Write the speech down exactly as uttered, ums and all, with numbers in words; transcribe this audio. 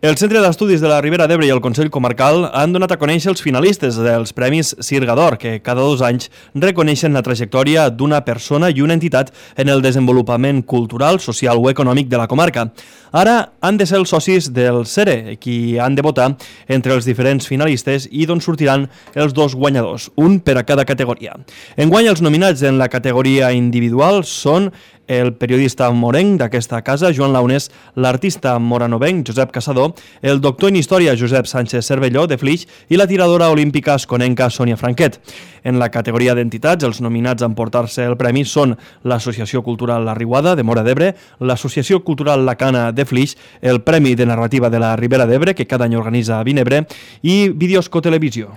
El Centre d'Estudis de la Ribera d'Ebre i el Consell Comarcal han donat a conèixer els finalistes dels Premis Sirga d'Or, que cada dos anys reconeixen la trajectòria d'una persona i una entitat en el desenvolupament cultural, social o econòmic de la comarca. Ara han de ser els socis del CERE, qui han de votar entre els diferents finalistes i d'on sortiran els dos guanyadors, un per a cada categoria. Enguany, els nominats en la categoria individual són el periodista morenc d'aquesta casa, Joan Launés, l'artista moranovenc, Josep Caçador, el doctor en història, Josep Sánchez Cervelló, de Flix, i la tiradora olímpica esconenca, Sònia Franquet. En la categoria d'entitats, els nominats a emportar-se el premi són l'Associació Cultural La Riuada, de Móra d'Ebre, l'Associació Cultural La Cana, de Flix, el Premi de Narrativa de la Ribera d'Ebre, que cada any organitza a Vinebre, i Videosco Televisió.